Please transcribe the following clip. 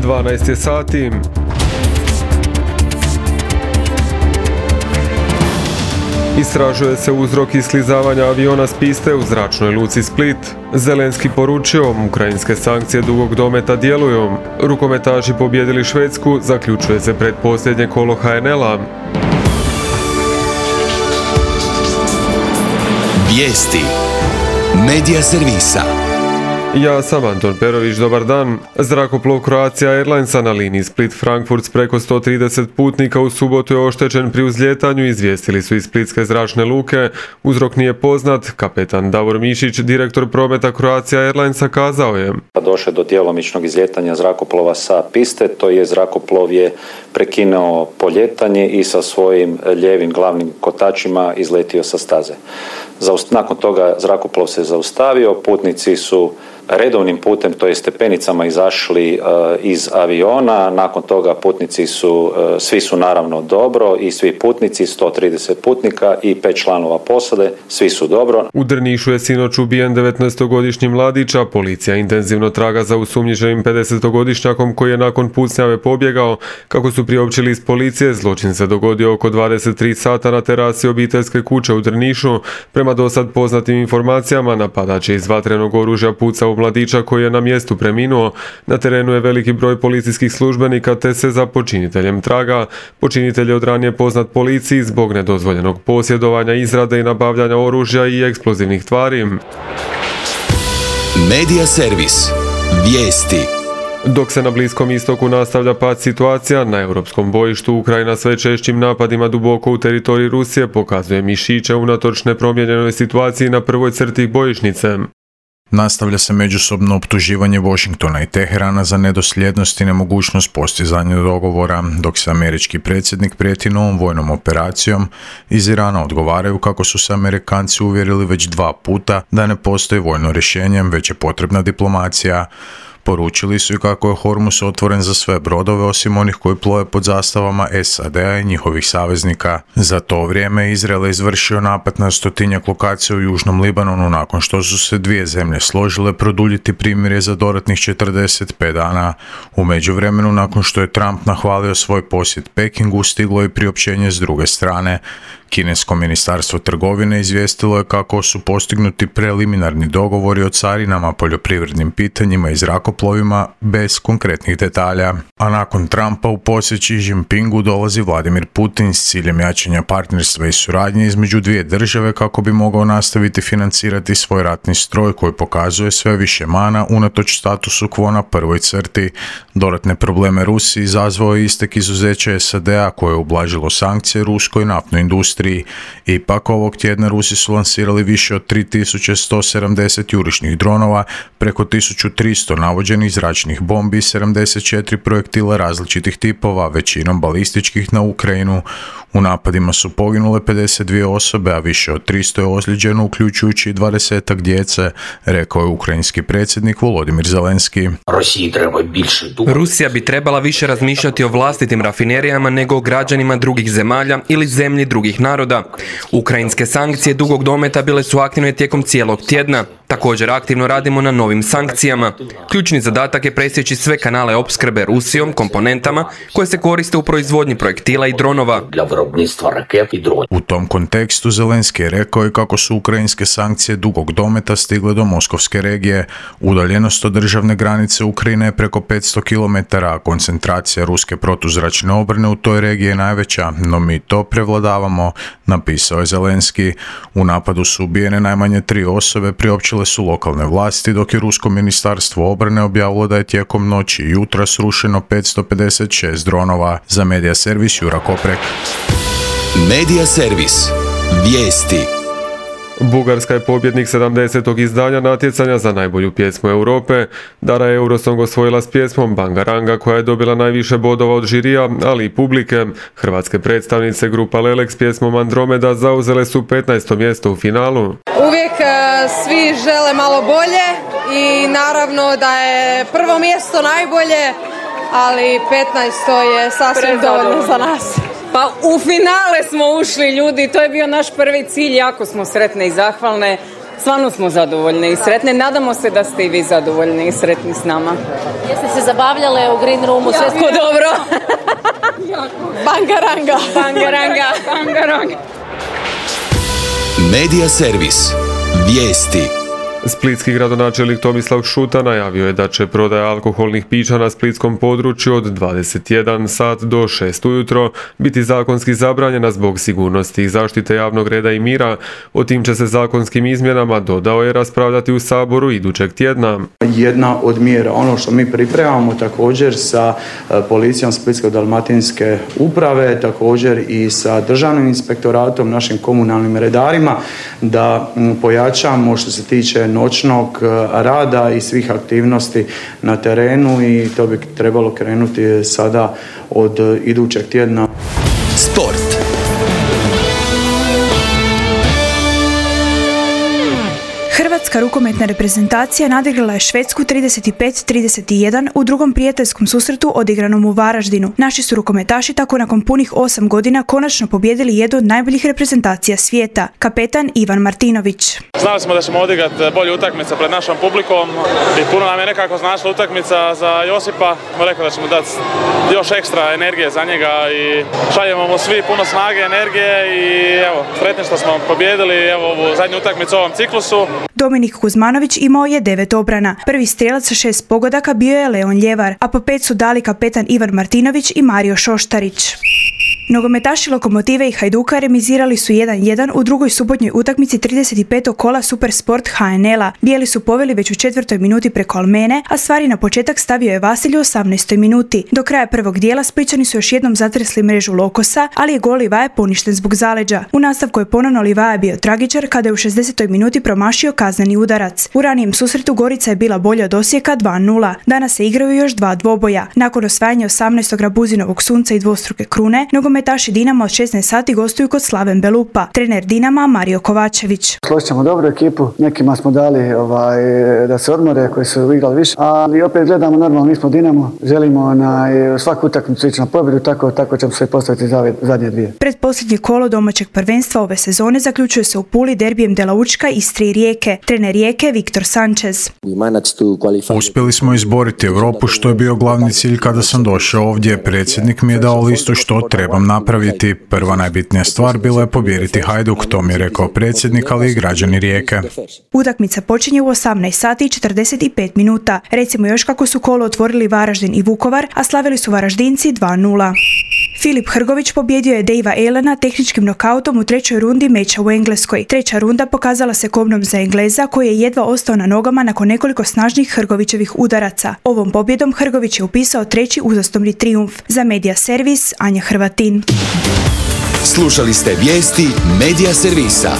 12 je sati. Istražuje se uzrok isklizavanja aviona s piste u zračnoj luci Split. Zelenski poručio, ukrajinske sankcije dugog dometa djeluju. Rukometaši pobijedili Švedsku, zaključuje se predposljednje kolo HNL-a. Vijesti Medija servisa. Ja sam Anton Perović, dobar dan. Zrakoplov Croatia Airlinesa na liniji Split-Frankfurt s preko 130 putnika u subotu je oštećen pri uzlijetanju, izvijestili su iz Splitske zračne luke. Uzrok nije poznat. Kapetan Davor Mišić, direktor prometa Croatia Airlinesa, kazao je: Došlo do djelomičnog izlijetanja zrakoplova sa piste, to je zrakoplov je prekinuo poljetanje i sa svojim lijevim glavnim kotačima izletio sa staze. Nakon toga zrakoplov se zaustavio, putnici su redovnim putem, to je stepenicama, izašli iz aviona. Nakon toga putnici svi su naravno dobro i svi putnici, 130 putnika i 5 članova posade, svi su dobro. U Drnišu je sinoć ubijen 19-godišnji mladić, a policija intenzivno traga za osumnjičenim 50-godišnjakom koji je nakon pucnjave pobjegao. Kako su priopćili iz policije, zločin se dogodio oko 23 sata na terasi obiteljske kuće u Drnišu. Prema dosad poznatim informacijama, napadač je iz vatrenog oružja pucao u mladića koji je na mjestu preminuo. Na terenu je veliki broj policijskih službenika te se za počiniteljem traga. Počinitelj je od ranije poznat policiji zbog nedozvoljenog posjedovanja, izrade i nabavljanja oružja i eksplozivnih tvari. Medija servis. Vijesti. Dok se na Bliskom istoku nastavlja pad situacija, na europskom bojištu Ukrajina sve češćim napadima duboko u teritoriji Rusije pokazuje mišiće unatoč nepromijenjenoj situaciji na prvoj crti bojišnice. Nastavlja se međusobno optuživanje Washingtona i Teherana za nedosljednost i nemogućnost postizanja dogovora, dok se američki predsjednik prijeti novom vojnom operacijom. Iz Irana odgovaraju kako su se Amerikanci uvjerili već 2 puta da ne postoji vojno rješenje, već je potrebna diplomacija. Poručili su i kako je Hormuz otvoren za sve brodove osim onih koji plove pod zastavama SAD-a i njihovih saveznika. Za to vrijeme Izrael je izvršio napad na 100-tinjak lokacija u Južnom Libanonu nakon što su se dvije zemlje složile produljiti primirje za dodatnih 45 dana. U međuvremenu, nakon što je Trump nahvalio svoj posjet Pekingu, stiglo je priopćenje s druge strane. Kinesko ministarstvo trgovine izvijestilo je kako su postignuti preliminarni dogovori o carinama, poljoprivrednim pitanjima i zrakoplovima bez konkretnih detalja. A nakon Trumpa u posjet Xi Jinpingu dolazi Vladimir Putin s ciljem jačanja partnerstva i suradnje između dvije države kako bi mogao nastaviti financirati svoj ratni stroj koji pokazuje sve više mana unatoč statusu quo na prvoj crti. Dodatne probleme Rusiji izazvao je istek izuzeća SAD-a koje je ublažilo sankcije ruskoj naftnoj industriji. Ipak ovog tjedna Rusi su lansirali više od 3170 jurišnih dronova, preko 1300 navođenih zračnih bombi i 74 projektila različitih tipova, većinom balističkih, na Ukrajinu. U napadima su poginule 52 osobe, a više od 300 je ozlijeđeno, uključujući 20-ak djece, rekao je ukrajinski predsjednik Volodimir Zelenski. Rusija bi trebala više razmišljati o vlastitim rafinerijama nego o građanima drugih zemalja ili zemlji drugih naroda. Ukrajinske sankcije dugog dometa bile su aktivne tijekom cijelog tjedna. Također aktivno radimo na novim sankcijama. Ključni zadatak je presjeći sve kanale opskrbe Rusijom komponentama koje se koriste u proizvodnji projektila i dronova. U tom kontekstu Zelenski je rekao i kako su ukrajinske sankcije dugog dometa stigle do Moskovske regije. Udaljenost od državne granice Ukrajine je preko 500 km, a koncentracija ruske protuzračne obrane u toj regiji je najveća, no mi to prevladavamo, napisao je Zelenski. U napadu su ubijene najmanje 3 osobe, priopćile su lokalne vlasti, dok je rusko ministarstvo obrane objavilo da je tijekom noći i jutra srušeno 556 dronova. Za Medija servis Jura Koprek. Medija servis. Vijesti. Bugarska je pobjednik 70. izdanja natjecanja za najbolju pjesmu Europe. Dara je Eurosong osvojila s pjesmom Bangaranga koja je dobila najviše bodova od žirija, ali i publike. Hrvatske predstavnice grupa Lelek s pjesmom Andromeda zauzele su 15. mjesto u finalu. Uvijek svi žele malo bolje i naravno da je prvo mjesto najbolje, ali 15. je sasvim dovoljno za nas. Pa u finale smo ušli, ljudi, to je bio naš prvi cilj, jako smo sretne i zahvalne. Stvarno smo zadovoljni i sretni. Nadamo se da ste i vi zadovoljni i sretni s nama. Jeste se zabavljale u Green Roomu? Sve smo dobro. Bangaranga. Bangaranga. Bangaranga. Medija servis. Vijesti. Splitski gradonačelnik Tomislav Šuta najavio je da će prodaja alkoholnih pića na splitskom području od 21 sat do 6 ujutro biti zakonski zabranjena zbog sigurnosti i zaštite javnog reda i mira. O tim će se zakonskim izmjenama, dodao je, raspravljati u Saboru idućeg tjedna. Jedna od mjera, ono što mi pripremamo također sa policijom Splitsko-dalmatinske uprave, također i sa državnim inspektoratom, našim komunalnim redarima, da pojačamo što se tiče noćnog rada i svih aktivnosti na terenu i to bi trebalo krenuti sada od idućeg tjedna. Sport. Hrvatska rukometna reprezentacija nadigrala je Švedsku 35-31 u drugom prijateljskom susretu odigranom u Varaždinu. Naši su rukometaši tako nakon punih 8 godina konačno pobijedili jednu od najboljih reprezentacija svijeta, kapetan Ivan Martinović. Znali smo da ćemo odigrati bolju utakmicu pred našom publikom i puno nam je nekako značila utakmica za Josipa. Rekao da ćemo dati još ekstra energije za njega i šaljemo mu svi puno snage, energije i evo, sretni što smo pobijedili ovu zadnju utakmicu u ovom ciklusu. Dominik Kuzmanović imao je 9 obrana. Prvi strijelac sa 6 pogodaka bio je Leon Ljevar, a po 5 su dali kapetan Ivan Martinović i Mario Šoštarić. Nogometaši Lokomotive i Hajduka remizirali su 1-1 u drugoj subotnjoj utakmici 35. kola Supersport HNL-a. Bijeli su poveli već u 4. minuti preko Almene, a stvari na početak stavio je Vasilj u 18. minuti. Do kraja prvog dijela Splićani su još jednom zatresli mrežu Lokosa, ali je gol Livaje poništen zbog zaleđa. U nastavku je ponovno Livaja bio tragičar kada je u 60. minuti promašio kazneni udarac. U ranijem susretu Gorica je bila bolja od Osijeka 2-0. Danas se igraju još 2 dvoboja. Nakon osvajanja 18. Rabuzinovog sunca i dvostruke krune, nogometaši Dinama od 16 sati gostuju kod Slaven Belupa. Trener Dinama Mario Kovačević. Složit ćemo dobru ekipu, nekima smo dali da se odmore, koji su igrali više, ali opet gledamo normalno, mi smo Dinamo, želimo na svaku utakmicu ići na pobjedu, tako ćemo se postaviti za zadnje dvije. Predposljednje kolo domaćeg prvenstva ove sezone zaključuje se u Puli derbijem Dela Učka, Istre i Rijeke. Trener Rijeke Viktor Sanchez. Uspjeli smo izboriti Europu, što je bio glavni cilj kada sam došao ovdje. Predsjednik mi je dao listu što trebam napraviti. Prva najbitnija stvar bila je pobijediti Hajduk, to mi je rekao predsjednik, ali i građani Rijeke. Utakmica počinje u 18 sati i 45 minuta. Recimo još kako su kolo otvorili Varaždin i Vukovar, a slavili su Varaždinci 2-0. Filip Hrgović pobjedio je Davea Elena tehničkim nokautom u 3. rundi meča u Engleskoj. 3. runda pokazala se kobnom za Engleza, koji je jedva ostao na nogama nakon nekoliko snažnih Hrgovićevih udaraca. Ovom pobjedom Hrgović je upisao 3. uzastopni trijumf. Za Medija servis Anja Hrvatin. Slušali ste vijesti Medija servisa.